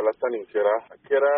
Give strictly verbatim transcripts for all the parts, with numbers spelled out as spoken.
Kalata nin kɛra, a kɛra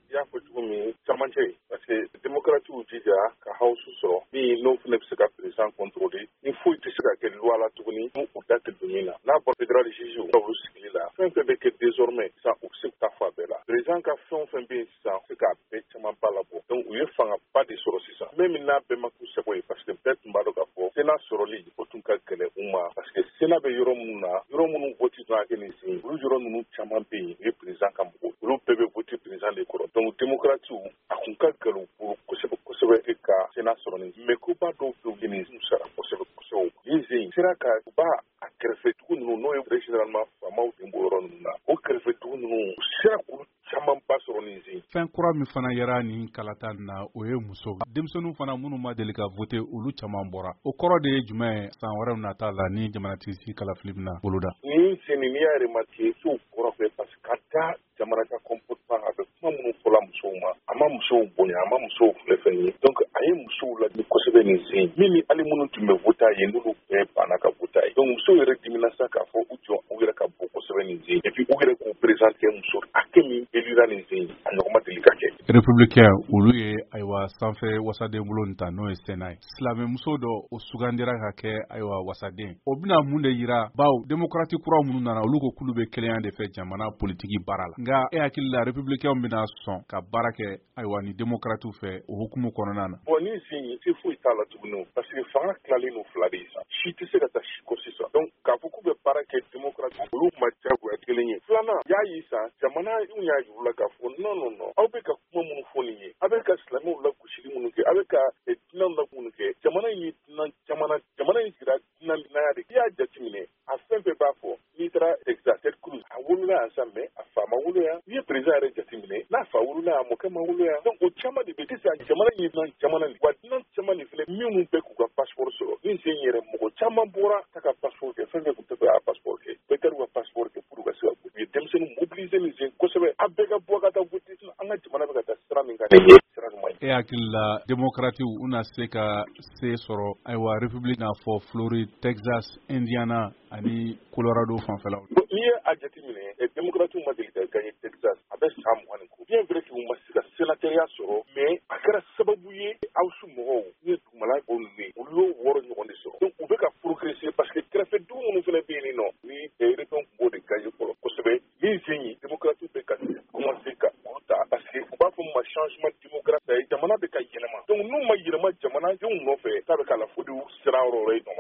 i y'a fɔ cogo min camancɛ ye, parce que démocrates jija ka House sɔrɔ min n'o fana bɛ se ka président contrôler, ni foyi tɛ se ka kɛ loi la tuguni n'u da tɛ don min na. N'a bɔra fédéral juge olu sigili la, fɛn fɛn bɛ kɛ désormais sisan, u bɛ se ka taa fɔ a bɛɛ la. Président ka fɛn o fɛn bɛ yen sisan, u bɛ se k'a bɛɛ camanba labɔ. Donc u ye fangaba de sɔrɔ sisan, même n'a bɛɛ ma k'u sago ye, parce que bɛɛ tun b'a dɔn k'a fɔ Sénat sɔrɔli, o tun ka gɛlɛn u ma, parce que Sénat bɛ yɔrɔ minnu na, yɔrɔ minnu vote tun ka kɛ nin sen, olu yɔrɔ ninnu caman bɛ yen, u ye président ka mɔgɔw, olu bɛɛ bɛ vote président de kɔrɔ. Donc démocrates, a kun ka gɛlɛn u bolo kosɛbɛ kosɛbɛ ka Sénat sɔrɔ nin, mais koba dɔw bɛ yen, nin sara kosɛbɛ kosɛbɛ. Nin sen sera ka u b'a a kɛrɛfɛ dugu ninnu, n'o ye généralement faamaw den bɔ yɔrɔ ninnu na, o kɛrɛfɛ dugu ninnu, u sera k'olu camanba sɔrɔ nin sen. Fɛn kura min fana yera nin kalata na, o ye muso denmisɛnninw fana minnu ma deli ka voter, olu caman bɔra. O kɔrɔ de ye jumɛn ye san wɛrɛw nata la ni jamanatigi kalafili bɛna boloda? Nin sen, n'i y'a remarqué, sow kɔrɔ fɛ, parce que ka da jamana ka comportement, a bɛ kuma minnu fɔla musow ma, a ma musow bonya, a ma musow filɛ fɛn ye. Donc a ye musow ladi kosɛbɛ nin sen, min ni hali minnu tun bɛ voter ye, n'olu bɛɛ banna ka voter ye. Donc musow yɛrɛ dimina sa k'a fɔ u jɔ u yɛrɛ ka bɔ kosɛbɛ nin sen, et puis u yɛrɛ k'u présenter. Muso hakɛ min élira nin sen, a ɲɔgɔn ma deli ka kɛ. Républicain, olu ye ayiwa sanfɛ wasaden bulon ta, n'o ye Sénat ye. Silamɛmuso dɔ, o sugandira ka kɛ ayiwa wasaden. O bɛna mun de yira? Bawo démocrate kura minnu nana, olu ko k'olu bɛ kelenya de fɛ jamana politiki baara la. Nka e hakili la, républicain bɛna sɔn ka baara kɛ ayiwa ni démocrate fɛ o hukumu kɔnɔna na? Bon, ni sen se foyi t'a la tuguni, parce que fanga tilalen no fila de ye sisan, si tɛ se ka taa si kɔ sisan. Donc k'a fɔ k'u bɛ baara kɛ démocrate, olu ma diyagoya kelen ye. Filanan y'a ye sisan, jamana y'a yir'u la k'a fɔ non, non, non, aw bɛ ka kuma minnu fɔ nin ye, aw bɛ ka silamɛw lagosili minnu kɛ, aw bɛ ka dunan la minnu kɛ, jamana in ye dunan jamana, jamana in sigira dunan naya de. I y'a jateminɛ, a fɛn fɛn b'a fɔ, n'i taara Texas, Ted Cruz, a wolola yan sa, mais a fa ma wolo yan. N'i ye président yɛrɛ jateminɛ, n'a fa wolola yan, a mɔkɛ ma wolo yan. Donc o caman de bɛ sisan, jamana in ye dunan jamana de wa. Dunan caman de filɛ minnu bɛ k'u ka passeport sɔrɔ ni sen yɛrɛ. Mɔgɔ caman bɔra ta ka passeport kɛ, fɛn fɛn tun tɛ fɛ ka passeport kɛ, bɛɛ taar'u ka passeport kɛ pour ka se ka u ye denmisɛnnin mobiliser nin sen kosɛbɛ. A bɛɛ ka bɔ ka taa voter, an ka jamana bɛ ka taa sira min kan, nin ye sira ɲuman ye. E hakili la, démocrates u na se ka se sɔrɔ ayiwa république n'a fɔ Floride, Texas, Indiana ani Colorado fanfɛlaw? N'i ye a jateminɛ, démocrates ma deli ka gagner Texas a bɛ san mugan ni kɔ. Bien vrai que u ma se ka sénatoriat sɔrɔ, mais a kɛra sababu ye House mɔgɔw ni ye dugumala bɔ ninnu ye, olu y'o wɔɔrɔ ɲɔgɔn de sɔrɔ. Donc u bɛ ka progresser, parce que kɛrɛfɛ dugu minnu fana bɛ yen nɔ, ni républicains tun b'o de gagner fɔlɔ kosɛbɛ, min sen ye démocrates bɛ ka commencer ka olu ta, parce que u b'a fɔ min ma changement démocratique, jamana bɛ ka yɛlɛma. Donc n'u ma yɛlɛma jamanadenw nɔfɛ, k'a bɛ k'a la fo de y'u siran yɔrɔ wɛrɛ.